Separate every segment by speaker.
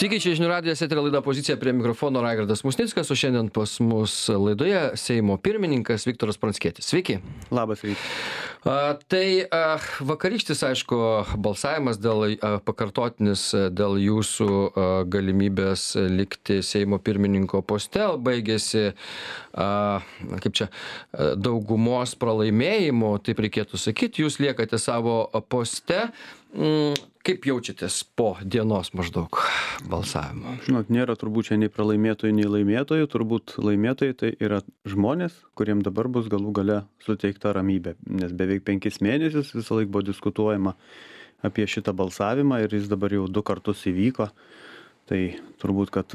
Speaker 1: Sveiki, čia žinių radijas, eterio laida Pozicija, prie mikrofono Raigardas Musnickas, o šiandien pas mus laidoje Seimo pirmininkas Viktoras Pranckietis. Sveiki.
Speaker 2: Labas rytas.
Speaker 1: Vakarykštis, aišku, balsavimas pakartotinis dėl jūsų galimybės likti Seimo pirmininko poste baigėsi daugumos pralaimėjimu, taip reikėtų sakyti, jūs liekate savo poste. Kaip jaučiatės po dienos maždaug balsavimo?
Speaker 2: Žinot, nėra turbūt čia nei pralaimėtojų, nei laimėtojų. Turbūt laimėtojai tai yra žmonės, kuriem dabar bus galų gale suteikta ramybė. Nes beveik 5 mėnesius visą laiką buvo diskutuojama apie šitą balsavimą ir jis dabar jau 2 kartus įvyko. Tai turbūt, kad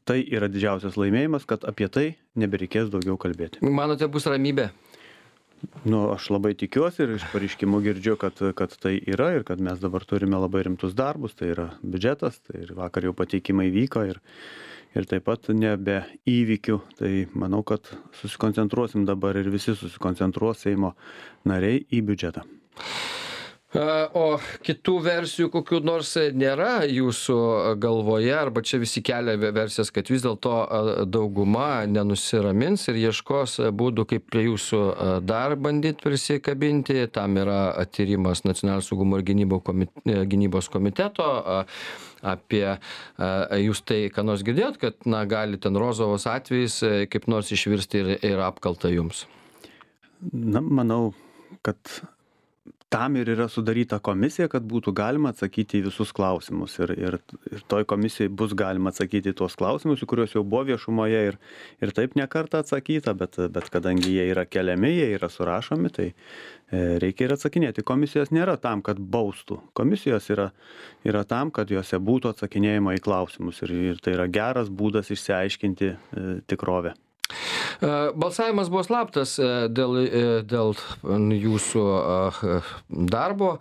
Speaker 2: tai yra didžiausias laimėjimas, kad apie tai nebereikės daugiau kalbėti.
Speaker 1: Manote, bus ramybė?
Speaker 2: Aš labai tikiuosi ir iš pareiškimų girdžiu, kad tai yra ir kad mes dabar turime labai rimtus darbus, tai yra biudžetas, tai ir vakar jau pateikimai vyko ir taip pat nebe įvykių. Tai manau, kad susikoncentruosim dabar ir visi susikoncentruos Seimo nariai į biudžetą.
Speaker 1: O kitų versijų kokių nors nėra jūsų galvoje, arba čia visi kelia versijas, kad vis dėlto dauguma nenusiramins ir ieškos būdų, kaip prie jūsų dar bandyti prisikabinti. Tam yra tyrimas Nacionalinio saugumo ir gynybos komiteto. Apie jūs tai, ką nors girdėjot, kad gali ten Rozovos atvejais kaip nors išvirsti ir apkalta jums?
Speaker 2: Manau, kad tam ir yra sudaryta komisija, kad būtų galima atsakyti į visus klausimus. Ir toj komisijai bus galima atsakyti į tuos klausimus, į kuriuos jau buvo viešumoje ir taip ne kartą atsakyta, bet kadangi jie yra keliami, jie yra surašomi, tai reikia ir atsakinėti. Komisijos nėra tam, kad baustų. Komisijos yra tam, kad juose būtų atsakinėjama į klausimus. Ir tai yra geras būdas išsiaiškinti tikrovę.
Speaker 1: Balsavimas buvo slaptas dėl jūsų darbo.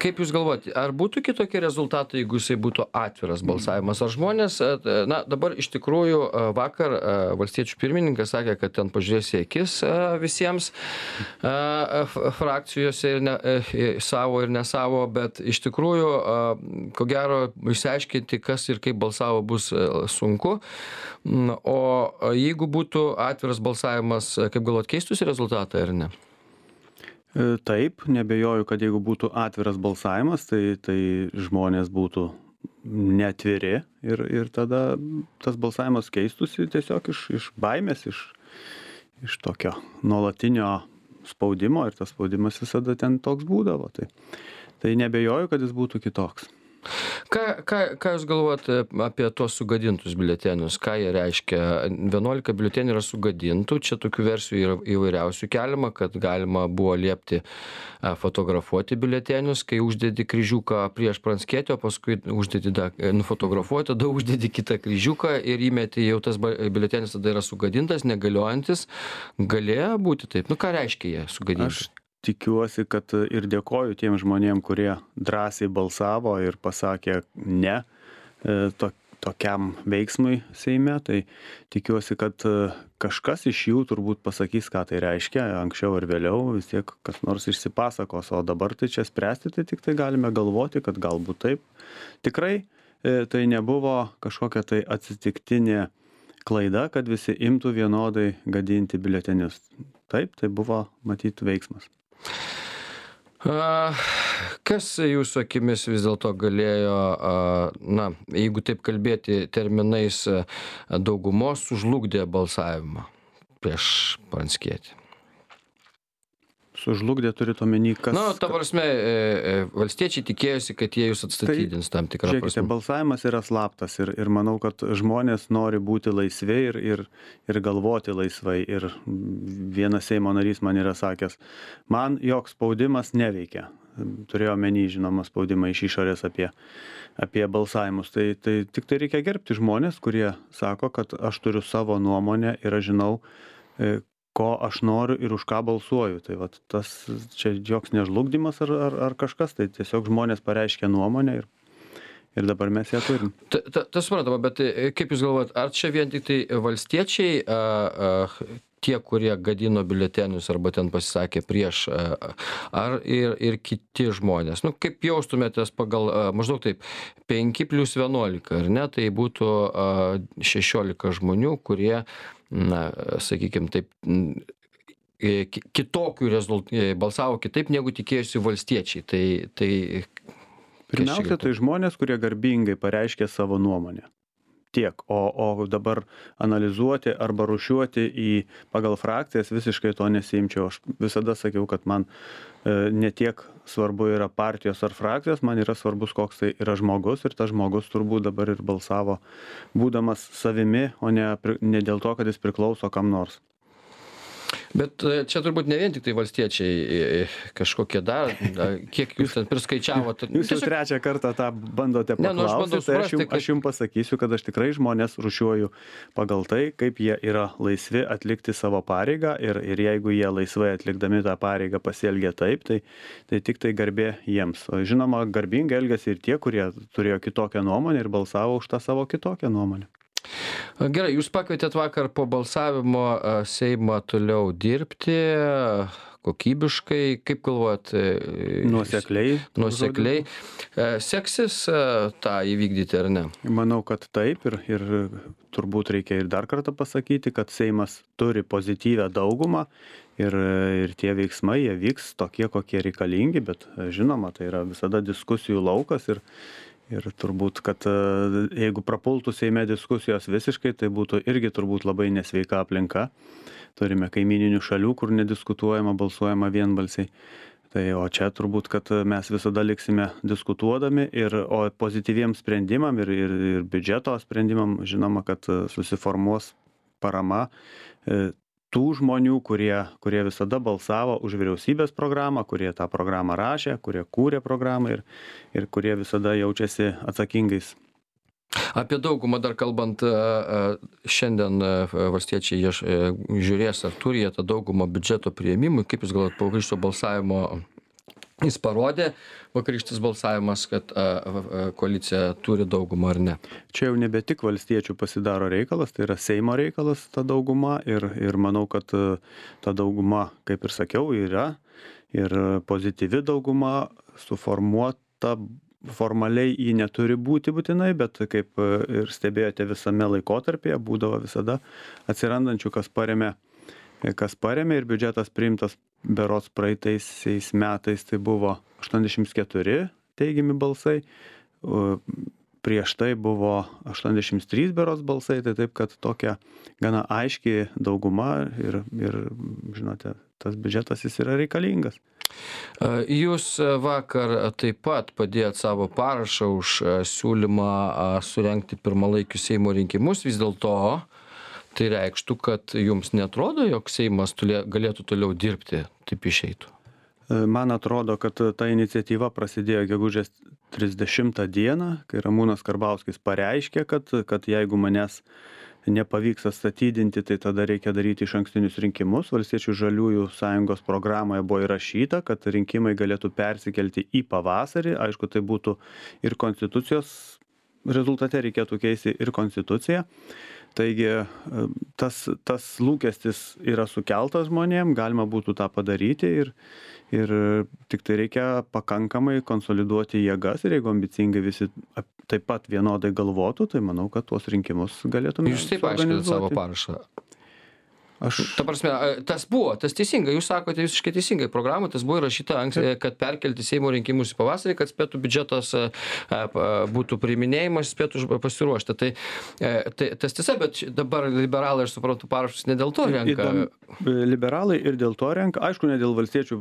Speaker 1: Kaip jūs galvojate, ar būtų kitokie rezultatai, jeigu jisai būtų atviras balsavimas? Ar žmonės, dabar iš tikrųjų vakar valstiečių pirmininkas sakė, kad ten pažiūrės į akis visiems frakcijose ir savo ir nesavo, bet iš tikrųjų, ko gero, išsiaiškinti, kas ir kaip balsavo, bus sunku. O jeigu būtų atviras balsavimas, kaip galvot, keistųsi rezultatai ar ne?
Speaker 2: Taip, nebejoju, kad jeigu būtų atviras balsavimas, tai žmonės būtų neatviri ir tada tas balsavimas keistųsi tiesiog iš baimės, iš tokio nuolatinio spaudimo ir tas spaudimas visada ten toks būdavo. Tai nebejoju, kad jis būtų kitoks.
Speaker 1: Ką jūs galvojat apie tuos sugadintus biuletenius? Ką jie reiškia? 11 biuletenių yra sugadintų, čia tokių versijų yra įvairiausių keliama, kad galima buvo liepti fotografuoti biuletenius, kai uždedi kryžiuką prieš Pranckietį, o paskui nufotografuoti, tada uždedi kitą kryžiuką ir įmeti, jau tas biuletenis tada yra sugadintas, negaliojantis. Galėjo būti taip? Ką reiškia jie sugadinti?
Speaker 2: Tikiuosi, kad ir dėkoju tiem žmonėm, kurie drąsiai balsavo ir pasakė ne tokiam veiksmui Seime. Tai tikiuosi, kad kažkas iš jų turbūt pasakys, ką tai reiškia, anksčiau ir vėliau, vis tiek kas nors išsipasakos, o dabar tai čia spręsti, tai tik tai galime galvoti, kad galbūt taip. Tikrai tai nebuvo kažkokia tai atsitiktinė klaida, kad visi imtų vienodai gadinti biuletenius. Taip, tai buvo matyti veiksmas.
Speaker 1: Kas jūsų akimis vis dėlto galėjo, jeigu taip kalbėti terminais, daugumos sužlugdė balsavimą prieš Pranckietį?
Speaker 2: Sužlugdė turite omeny, kas...
Speaker 1: Ta prasme, valstiečiai tikėjosi, kad jie jūs atstatydins tam tikrą prasme.
Speaker 2: Žiūrėkite, balsavimas yra slaptas ir manau, kad žmonės nori būti laisvi ir galvoti laisvai. Ir vienas Seimo narys man yra sakęs, man joks spaudimas neveikia. Turėjo omeny, žinoma, spaudimą iš išorės apie balsavimus. Tai tik tai reikia gerbti žmonės, kurie sako, kad aš turiu savo nuomonę ir aš žinau, ko aš noriu ir už ką balsuoju. Tai vat tas čia joks nežlugdymas ar kažkas, tai tiesiog žmonės pareiškia nuomonę ir dabar mes ją turim.
Speaker 1: Tas suprantama, bet kaip jūs galvojat, ar čia vien tik tai valstiečiai tie, kurie gadino biuletenius arba ten pasisakė prieš, ar ir kiti žmonės? Nu, kaip jaustumėtės pagal maždaug taip 5+11, ar ne? Tai būtų 16 žmonių, kurie, na, sakykime taip, kitokių balsavo kitaip, negu tikėjosi valstiečiai. Tai
Speaker 2: Pirmiausia, tai žmonės, kurie garbingai pareiškė savo nuomonę. Tiek. O dabar analizuoti arba rūšiuoti pagal frakcijas visiškai to nesiimčiau. Aš visada sakiau, kad man ne tiek svarbu yra partijos ar frakcijos, man yra svarbus, koks tai yra žmogus, ir tas žmogus turbūt dabar ir balsavo būdamas savimi, o ne dėl to, kad jis priklauso kam nors.
Speaker 1: Bet čia turbūt ne vien tik tai valstiečiai kažkokie dar, kiek jūs ten priskaičiavot.
Speaker 2: Jūs jau trečią kartą tą bandote paklausyti, tai aš jums pasakysiu, kad aš tikrai žmonės rūšiuoju pagal tai, kaip jie yra laisvi atlikti savo pareigą, ir jeigu jie laisvai atlikdami tą pareigą pasielgia taip, tai tik tai garbė jiems. O žinoma, garbingai elgiasi ir tie, kurie turėjo kitokią nuomonę ir balsavo už tą savo kitokią nuomonę.
Speaker 1: Gerai, jūs pakvietėt vakar po balsavimo Seimą toliau dirbti kokybiškai, kaip galvojat? Nuosekliai. Seksis tą įvykdyti ar ne?
Speaker 2: Manau, kad taip, ir turbūt reikia ir dar kartą pasakyti, kad Seimas turi pozityvią daugumą ir tie veiksmai, jie vyks tokie, kokie reikalingi, bet žinoma, tai yra visada diskusijų laukas ir turbūt, kad jeigu prapultų Seime diskusijos visiškai, tai būtų irgi turbūt labai nesveika aplinka. Turime kaimyninių šalių, kur nediskutuojama, balsuojama vienbalsiai. O čia turbūt, kad mes visada liksime diskutuodami, o pozityviems sprendimam ir biudžeto sprendimam, žinoma, kad susiformuos parama tų žmonių, kurie visada balsavo už vyriausybės programą, kurie tą programą rašė, kurie kūrė programą ir kurie visada jaučiasi atsakingais.
Speaker 1: Apie daugumą dar kalbant, šiandien valstiečiai žiūrės, ar turi jie tą daugumą biudžeto priėmimui. Kaip jūs galvojat, po vakarykščio balsavimo jis parodė, vakarykštis balsavimas, kad koalicija turi daugumą ar ne?
Speaker 2: Čia jau nebe tik valstiečių pasidaro reikalas, tai yra Seimo reikalas ta dauguma, ir manau, kad ta dauguma, kaip ir sakiau, yra ir pozityvi dauguma, suformuota. Formaliai jį neturi būti būtinai, bet kaip ir stebėjote visame laikotarpyje, būdavo visada atsirandančių, kas paremė, ir biudžetas priimtas berods praeitaisiais metais, tai buvo 84 teigiami balsai, prieš tai buvo 83 berods balsai, tai taip, kad tokia gana aiški dauguma ir žinote, tas biudžetas jis yra reikalingas.
Speaker 1: Jūs vakar taip pat padėjot savo parašą už siūlymą surengti pirmalaikius Seimo rinkimus. Vis dėlto tai reikštų, kad jums neatrodo, jog Seimas galėtų toliau dirbti, taip išeitų?
Speaker 2: Man atrodo, kad ta iniciatyva prasidėjo gegužės 30 dieną, kai Ramūnas Karbauskis pareiškė, kad jeigu manęs nepavyks atstatydinti, tai tada reikia daryti išankstinius rinkimus. Valstiečių žaliųjų sąjungos programoje buvo įrašyta, kad rinkimai galėtų persikelti į pavasarį. Aišku, tai būtų ir konstitucijos rezultate, reikėtų keisti ir konstituciją. Taigi tas lūkestis yra sukeltas žmonėm, galima būtų tą padaryti ir tik tai reikia pakankamai konsoliduoti jėgas, ir jeigu ambicingai visi taip pat vienodai galvotų, tai manau, kad tuos rinkimus galėtume.
Speaker 1: Jūs taip aiškinate savo parašą. Ta prasme, tas teisinga, jūs sakote visiškai teisingai, programoje tas buvo įrašyta, kad perkelti Seimo rinkimus į pavasarį, kad spėtų biudžetas būtų priiminėjimas, spėtų pasiruošti. Tai tas tiesa, bet dabar liberalai, aš suprantu, parašus ne dėl to renka.
Speaker 2: Liberalai ir dėl to renka, aišku, ne dėl valstiečių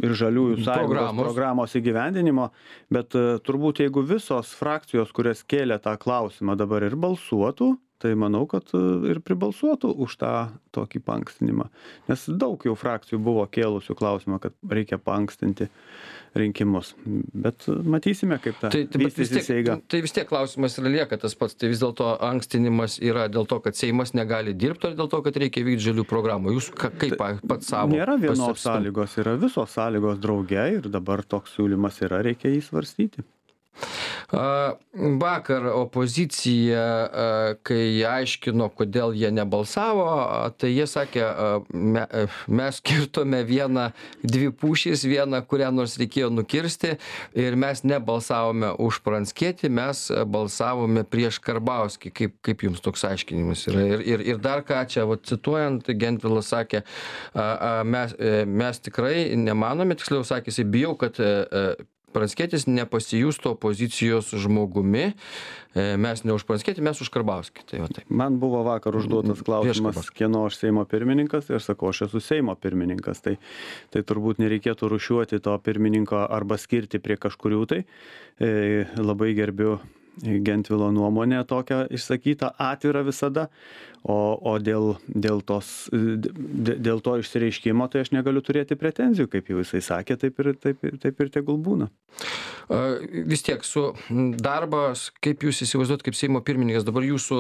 Speaker 2: ir žaliųjų sąjungos programos įgyvendinimo, bet turbūt jeigu visos frakcijos, kurias kėlė tą klausimą, dabar ir balsuotų, tai manau, kad ir pribalsuotų už tą tokį paankstinimą. Nes daug jau frakcijų buvo kėlusių klausimą, kad reikia paankstinti rinkimus. Bet matysime, kaip ta vystysis eiga.
Speaker 1: Tai vis tiek klausimas yra lieka tas pats. Tai vis dėlto ankstinimas yra dėl to, kad Seimas negali dirbti, ar dėl to, kad reikia vykdyti žalių programų? Jūs kaip pats savo?
Speaker 2: Nėra vienos sąlygos, yra visos sąlygos drauge, ir dabar toks siūlymas yra, reikia jį svarstyti.
Speaker 1: Vakar opozicija, kai aiškino, kodėl jie nebalsavo, tai jie sakė, mes kirtome dvi pušys, vieną, kurią nors reikėjo nukirsti ir mes nebalsavome už Pranckietį, mes balsavome prieš Karbauskį. Kaip jums toks aiškinimas yra? Ir dar ką čia, cituojant, Gentvilas sakė, mes tikrai nemanome, tiksliau sakė, jisai bijau, kad Pranckietis nepasijustų opozicijos žmogumi. Mes ne už Pranckietį, mes už Karbauskį. Tai va taip.
Speaker 2: Man buvo vakar užduotas klausimas, kieno aš Seimo pirmininkas, ir sakau, aš esu Seimo pirmininkas. Tai turbūt nereikėtų rūšiuoti to pirmininko arba skirti prie kažkurių tai. Labai gerbiu Gentvilo nuomonę tokią išsakytą, atvirą visada, o dėl to išsireiškimo tai aš negaliu turėti pretenzijų, kaip jau jisai sakė, taip ir tegul būna.
Speaker 1: Vis tiek su darbas, kaip jūs įsivaizduot kaip Seimo pirmininkas, dabar jūsų,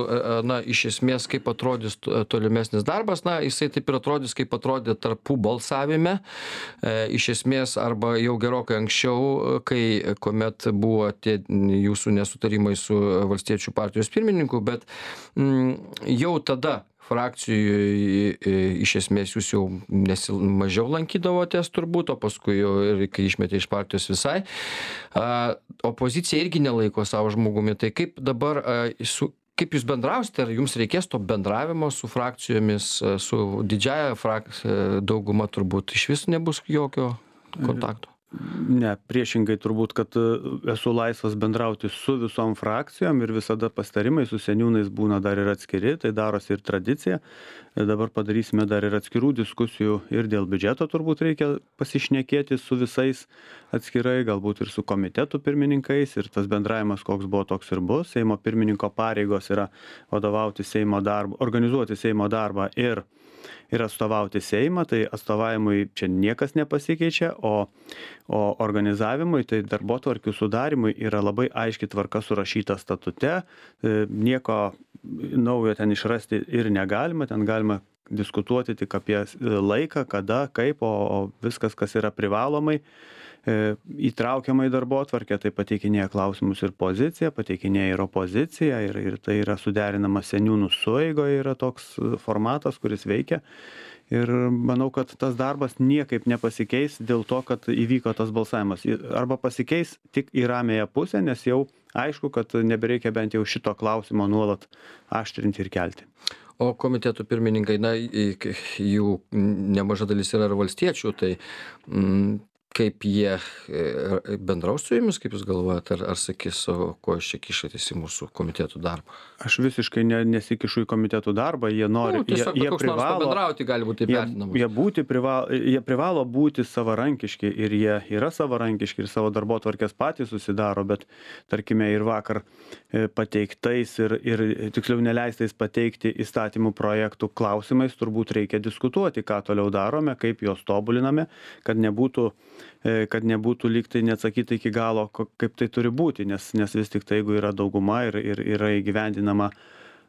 Speaker 1: iš esmės, kaip atrodys tolimesnis darbas, jisai taip ir atrodys, kaip atrodė tarpų balsavime, iš esmės, arba jau gerokai anksčiau, kuomet buvo tie jūsų nesutarimai su Valstiečių partijos pirmininku, bet jau tada frakcijoje iš esmės jūs jau mažiau lankydavotės turbūt, o paskui jau ir kai išmetė iš partijos visai. Opozicija irgi nelaiko savo žmogumi. Tai kaip dabar, kaip jūs bendrausite, ar jums reikės to bendravimo su frakcijomis, su didžiaja dauguma turbūt iš vis nebus jokio kontakto?
Speaker 2: Ne, priešingai turbūt, kad esu laisvas bendrauti su visom frakcijom ir visada pasitarimai su seniūnais būna dar ir atskiri, tai darosi ir tradicija. Dabar padarysime dar ir atskirų diskusijų ir dėl biudžeto turbūt reikia pasišnekėti su visais atskirai, galbūt ir su komitetų pirmininkais, ir tas bendravimas koks buvo, toks ir bus. Seimo pirmininko pareigos yra vadovauti Seimo darbą, organizuoti Seimo darbą ir atstovauti Seimą, tai atstovavimui čia niekas nepasikeičia, o organizavimui, tai darbotvarkių sudarimui yra labai aiški tvarka surašyta statute, nieko naujo ten išrasti ir negalima, ten galima diskutuoti tik apie laiką, kada, kaip, o viskas, kas yra privalomai, įtraukiama į darbotvarkę, tai pateikinėja klausimus ir pozicija, pateikinėja ir opozicija, ir tai yra suderinama seniūnų sueigoje, yra toks formatas, kuris veikia. Ir manau, kad tas darbas niekaip nepasikeis dėl to, kad įvyko tas balsavimas. Arba pasikeis tik į ramiąją pusę, nes jau aišku, kad nebereikia bent jau šito klausimo nuolat aštrinti ir kelti.
Speaker 1: O komitetų pirmininkai, jų nemaža dalis yra ir valstiečių, tai kaip jie bendraus su jumis, kaip jūs galvojate, ar sakys, ko jūs čia kišatės į mūsų komitetų darbą?
Speaker 2: Aš visiškai nesikišu į komitetų darbą, jie nori, jie privalo
Speaker 1: bendrauti, gali būti taip vertinamas.
Speaker 2: Jie privalo būti savarankiški ir jie yra savarankiški ir savo darbotvarkės patys susidaro, bet tarkime ir vakar pateiktais ir tiksliau neleistais pateikti įstatymų projektų klausimais turbūt reikia diskutuoti, ką toliau darome, kaip juos tobuliname, kad nebūtų lyg tai neatsakyta iki galo, kaip tai turi būti, nes vis tik tai, jeigu yra dauguma ir yra įgyvendinama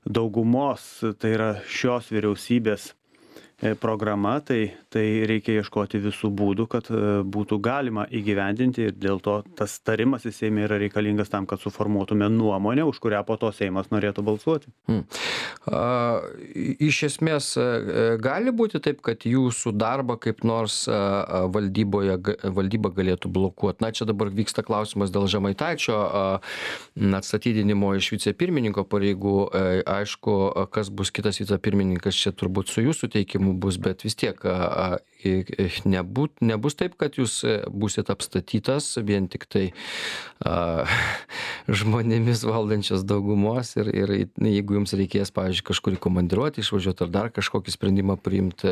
Speaker 2: daugumos, tai yra šios vyriausybės programa, tai reikia ieškoti visų būdų, kad būtų galima įgyvendinti, ir dėl to tas tarimasis Seime yra reikalingas tam, kad suformuotume nuomonę, už kurią po to Seimas norėtų balsuoti.
Speaker 1: Iš esmės gali būti taip, kad jūsų darbą kaip nors valdyba galėtų blokuoti. Čia dabar vyksta klausimas dėl Žemaitaičio atstatydinimo iš vicepirmininko pareigų. Aišku, kas bus kitas vicepirmininkas, čia turbūt su jūsų teikimu bus, bet vis tiek nebus taip, kad jūs būsit apstatytas vien tik tai žmonėmis valdančios daugumos ir jeigu jums reikės, pavyzdžiui, kažkurį komandiruoti, išvažiuoti ar dar kažkokį sprendimą priimti,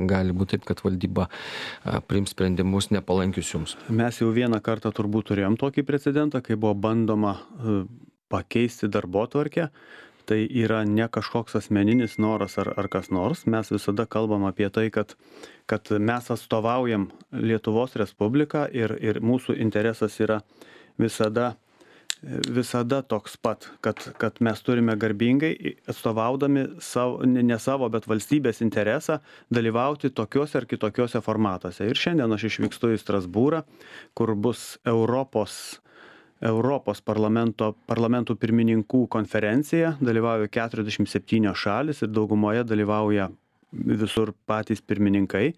Speaker 1: gali būti taip, kad valdyba priims sprendimus nepalankius jums.
Speaker 2: Mes jau vieną kartą turbūt turėjom tokį precedentą, kai buvo bandoma pakeisti darbotvarkę. Tai yra ne kažkoks asmeninis noras ar kas nors. Mes visada kalbam apie tai, kad mes atstovaujam Lietuvos Respubliką ir mūsų interesas yra visada toks pat, kad mes turime garbingai atstovaudami ne savo, bet valstybės interesą dalyvauti tokiuose ar kitokiuose formatuose. Ir šiandien aš išvykstu į Strasbūrą, kur bus Europos Europos parlamentų pirmininkų konferencija, dalyvauja 47 šalis ir daugumoje dalyvauja visur patys pirmininkai.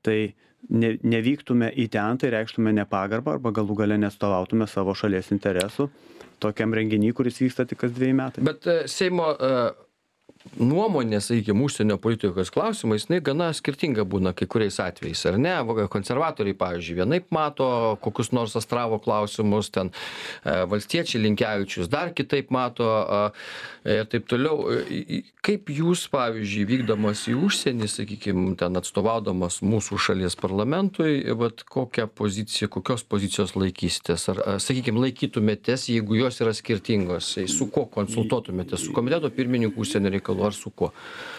Speaker 2: Tai nevyktume į ten, tai reikštume nepagarbą arba galų gale nestovautume savo šalies interesų tokiam renginy, kuris vyksta tik kas 2 metai.
Speaker 1: Bet Seimo nuomonė, sakykime, užsienio politikos klausimais, jinai gana skirtinga būna kai kuriais atvejais, ar ne? Konservatoriai, pavyzdžiui, vienaip mato kokius nors Astravo klausimus, ten valstiečiai Linkevičius dar kitaip mato ir taip toliau. Kaip jūs, pavyzdžiui, vykdamas į užsienį, sakykime, ten atstovaudamas mūsų šalies parlamentui, kokios pozicijos laikysitės? Ar, sakykime, laikytumėtės, jeigu jos yra skirtingos? Su kuo konsultuotumėtės? Su komiteto pirmininku užsienio reikalų ar su kuo?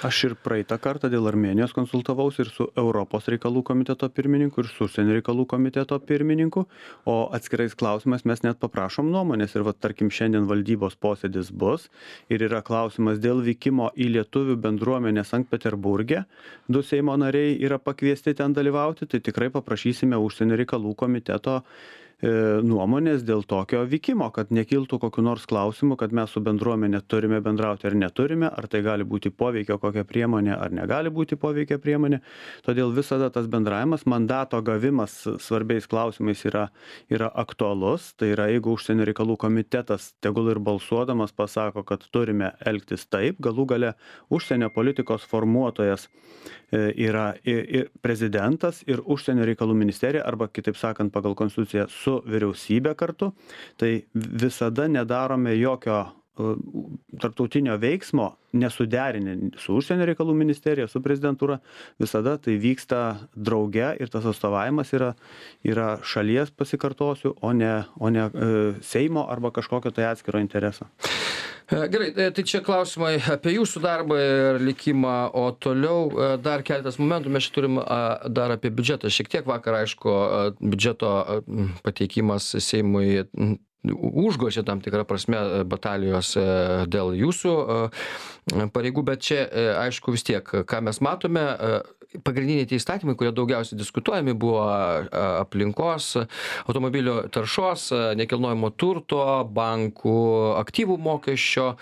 Speaker 2: Aš ir praeitą kartą dėl Armėnijos konsultavausi ir su Europos reikalų komiteto pirmininku, ir su užsienio reikalų komiteto pirmininku, o atskirais klausimais mes net paprašom nuomonės. Ir tarkim, šiandien valdybos posėdis bus ir yra klausimas dėl vykimo į lietuvių bendruomenę Sankt Peterburge. 2 Seimo nariai yra pakviesti ten dalyvauti, tai tikrai paprašysime užsienio reikalų komiteto nuomonės dėl tokio vykimo, kad nekiltų kokiu nors klausimu, kad mes su bendruomenė turime bendrauti ar neturime, ar tai gali būti poveikio kokia priemonė, ar negali būti poveikio priemonė. Todėl visada tas bendravimas, mandato gavimas svarbiais klausimais yra aktualus. Tai yra, jeigu užsienio reikalų komitetas tegul ir balsuodamas pasako, kad turime elgtis taip, galų gale užsienio politikos formuotojas yra ir prezidentas, ir užsienio reikalų ministerija, arba kitaip sakant pagal konstituciją su vyriausybė kartu, tai visada nedarome jokio tarptautinio veiksmo nesuderinę su užsienio reikalų ministerija, su prezidentūra. Visada tai vyksta drauge ir tas atstovavimas yra šalies, pasikartosiu, o ne Seimo arba kažkokio tai atskiro intereso.
Speaker 1: Gerai, tai čia klausimai apie jūsų darbą ir likimą, o toliau dar keletas momentų. Mes čia turim dar apie biudžetą. Šiek tiek vakar, aišku, biudžeto pateikimas Seimui užgožė tam tikrą prasme batalijos dėl jūsų pareigų, bet čia, aišku, vis tiek, ką mes matome, pagrindiniai tie įstatymai, kurie daugiausiai diskutuojami, buvo aplinkos, automobilio taršos, nekilnojamo turto, bankų aktyvų mokesčio,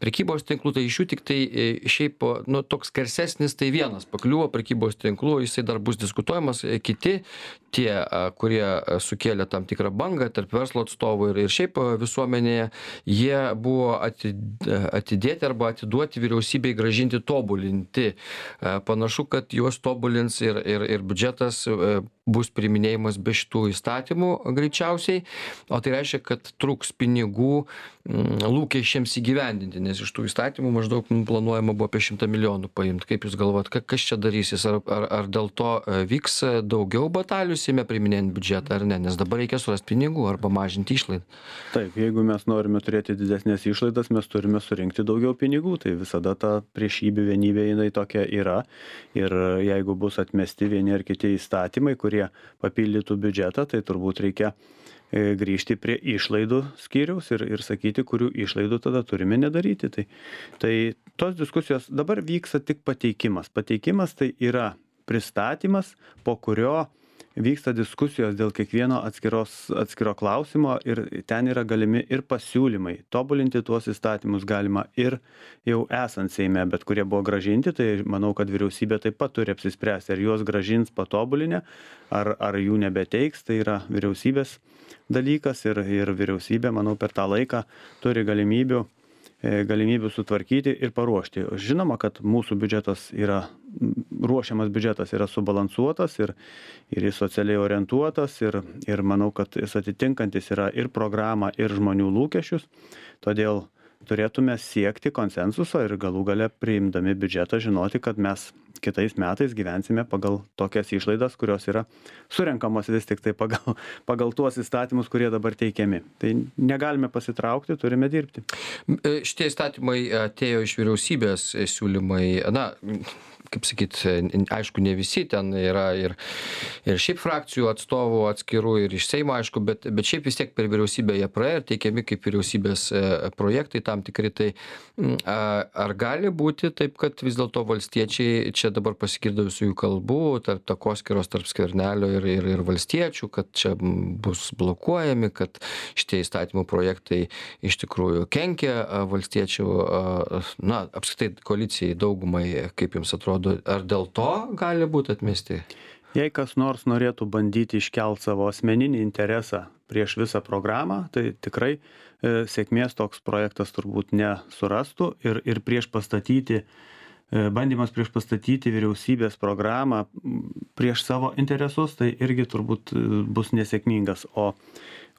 Speaker 1: prekybos tinklų, tai iš jų tik tai šiaip, toks garsesnis, tai vienas pakliuvo prekybos tinklų, jisai dar bus diskutuojamas, kiti tie, kurie sukėlė tam tikrą bangą tarp verslo atstovų ir šiaip visuomenėje, jie buvo atidėti arba atiduoti vyriausybei, grąžinti, tobulinti. Panašu, kad juos tobulins ir biudžetas bus priiminėjimas be šitų įstatymų greičiausiai, o tai reiškia, kad trūks pinigų lūkesčiams įgyvendinti, nes iš tų įstatymų maždaug planuojama buvo apie 100 milijonų paimti. Kaip jūs galvojat, kas čia darysis? Ar dėl to vyks daugiau batalijų Seime priiminėjant biudžetą ar ne? Nes dabar reikia surasti pinigų arba mažinti išlaidą.
Speaker 2: Taip, jeigu mes norime turėti didesnės išlaidas, mes turime surinkti daugiau pinigų. Tai visada ta priešybė vienybė jinai tokia yra. Ir jeigu bus atmesti vieni ar kiti įstatymai, kurie papildytų biudžetą, tai turbūt reikia grįžti prie išlaidų skyriaus ir sakyti, kurių išlaidų tada turime nedaryti. Tai tos diskusijos dabar vyksta tik pateikimas. Pateikimas tai yra pristatymas, po kurio vyksta diskusijos dėl kiekvieno atskiro klausimo ir ten yra galimi ir pasiūlymai. Tobulinti tuos įstatymus galima ir jau esant Seime, bet kurie buvo grąžinti, tai manau, kad vyriausybė taip pat turi apsispręsti, ar juos grąžins patobulinę, ar jų nebeteiks. Tai yra vyriausybės dalykas ir vyriausybė, manau, per tą laiką turi galimybių sutvarkyti ir paruošti. Žinoma, kad mūsų ruošiamas biudžetas yra subalansuotas ir jis socialiai orientuotas ir manau, kad jis atitinkantis yra ir programą, ir žmonių lūkesčius. Todėl turėtume siekti konsensuso ir galų gale priimdami biudžetą žinoti, kad mes kitais metais gyvensime pagal tokias išlaidas, kurios yra surenkamos vis tik tai pagal tuos įstatymus, kurie dabar teikiami. Tai negalime pasitraukti, turime dirbti.
Speaker 1: Šitie įstatymai atėjo iš vyriausybės siūlymai, kaip sakyt, aišku, ne visi ten yra ir šiaip frakcijų atstovų atskirų, ir iš Seimo, aišku, bet šiaip vis tiek per vyriausybę jie praėjo ir teikiami kaip vyriausybės projektai tam tikri. Tai ar gali būti taip, kad vis dėlto valstiečiai, čia dabar pasigirdo visų jų kalbų, tarp takoskyros tarp Skvernelio ir valstiečių, kad čia bus blokuojami, kad šitie įstatymų projektai iš tikrųjų kenkia valstiečių, na, apskritai koalicijai, daugumai, kaip jums atrodo, ar dėl to gali būti atmesti?
Speaker 2: Jei kas nors norėtų bandyti iškelt savo asmeninį interesą prieš visą programą, tai tikrai sėkmės toks projektas turbūt nesurastų ir bandymas prieš pastatyti vyriausybės programą prieš savo interesus, tai irgi turbūt bus nesėkmingas. O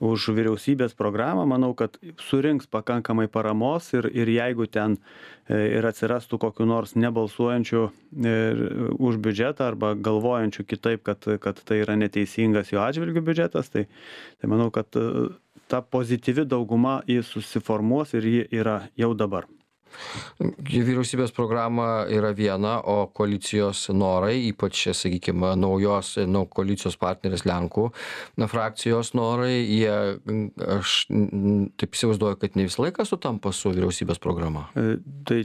Speaker 2: už vyriausybės programą, manau, kad surinks pakankamai paramos ir jeigu ten ir atsirastų kokiu nors nebalsuojančių už biudžetą arba galvojančių kitaip, kad tai yra neteisingas jo atžvilgių biudžetas, tai manau, kad ta pozityvi dauguma jį susiformuos ir ji yra jau dabar.
Speaker 1: Vyriausybės programa yra viena, o koalicijos norai, ypač, sakykime, naujos koalicijos partnerės Lenkų frakcijos norai, aš taip įsivaizduoju, kad ne visą laiką sutampa su vyriausybės programa.
Speaker 2: Tai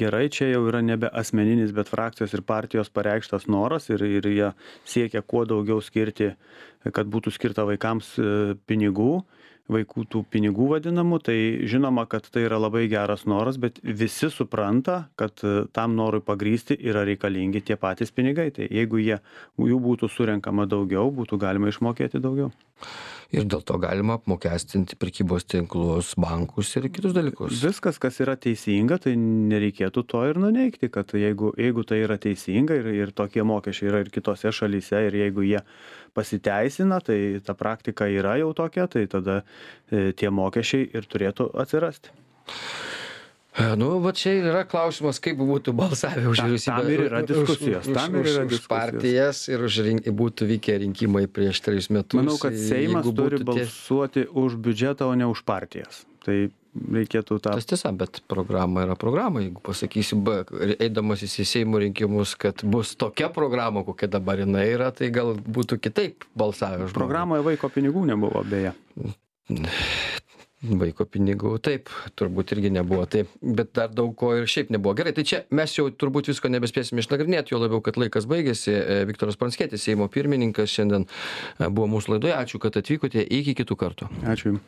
Speaker 2: gerai, čia jau yra nebe asmeninis, bet frakcijos ir partijos pareikštas noras ir jie siekia kuo daugiau skirti, kad būtų skirta vaikams pinigų, vaikų tų pinigų vadinamų, tai žinoma, kad tai yra labai geras noras, bet visi supranta, kad tam norui pagrįsti yra reikalingi tie patys pinigai. Tai jeigu jų būtų surenkama daugiau, būtų galima išmokėti daugiau.
Speaker 1: Ir dėl to galima apmokestinti prekybos tinklus, bankus ir kitus dalykus.
Speaker 2: Viskas, kas yra teisinga, tai nereikėtų to ir nuneigti, kad jeigu tai yra teisinga ir tokie mokesčiai yra ir kitose šalyse, ir jeigu jie pasiteisina, tai ta praktika yra jau tokia, tai tada tie mokesčiai ir turėtų atsirasti.
Speaker 1: Nu, va čia yra klausimas, kaip būtų balsavę už vyriausybę.
Speaker 2: Tam ir yra diskusijos.
Speaker 1: Už partijas ir būtų vykę rinkimai prieš 3 metus.
Speaker 2: Manau, kad Seimas turi balsuoti už biudžetą, o ne už partijas. Tai reikėtų tą...
Speaker 1: Tas tiesa, bet programa yra programa. Jeigu pasakysi, eidamas į Seimo rinkimus, kad bus tokia programa, kokia dabar jinai yra, tai gal būtų kitaip balsavę.
Speaker 2: Programoje vaiko pinigų nebuvo, beje.
Speaker 1: Vaiko pinigų, taip, turbūt irgi nebuvo, taip, bet dar daug ko ir šiaip nebuvo. Gerai, tai čia mes jau turbūt visko nebespėsime išnagrinėti, jo labiau, kad laikas baigėsi. Viktoras Pranckietis, Seimo pirmininkas, šiandien buvo mūsų laidoje. Ačiū, kad atvykote. Iki kitų kartų.
Speaker 2: Ačiū.